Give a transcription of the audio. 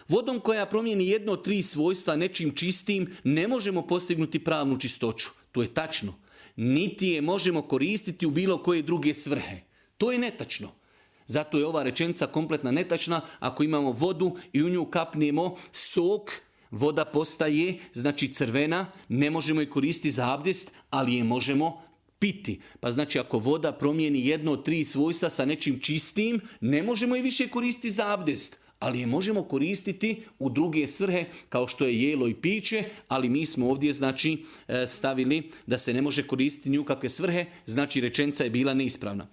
Vodom koja promijeni jedno od 3 svojstva nečim čistim, ne možemo postignuti pravnu čistoću. To je tačno. Niti je možemo koristiti u bilo koje druge svrhe. To je netačno. Zato je ova rečenica kompletna netačna. Ako imamo vodu i u nju kapnemo sok, voda postaje, znači crvena, ne možemo je koristiti za abdest, ali je možemo piti. Pa znači ako voda promijeni jedno od 3 svojstva sa nečim čistim, ne možemo je više koristiti za abdest, ali je možemo koristiti u druge svrhe kao što je jelo i piće, ali mi smo ovdje znači stavili da se ne može koristiti ni u kakve svrhe, znači rečenica je bila neispravna.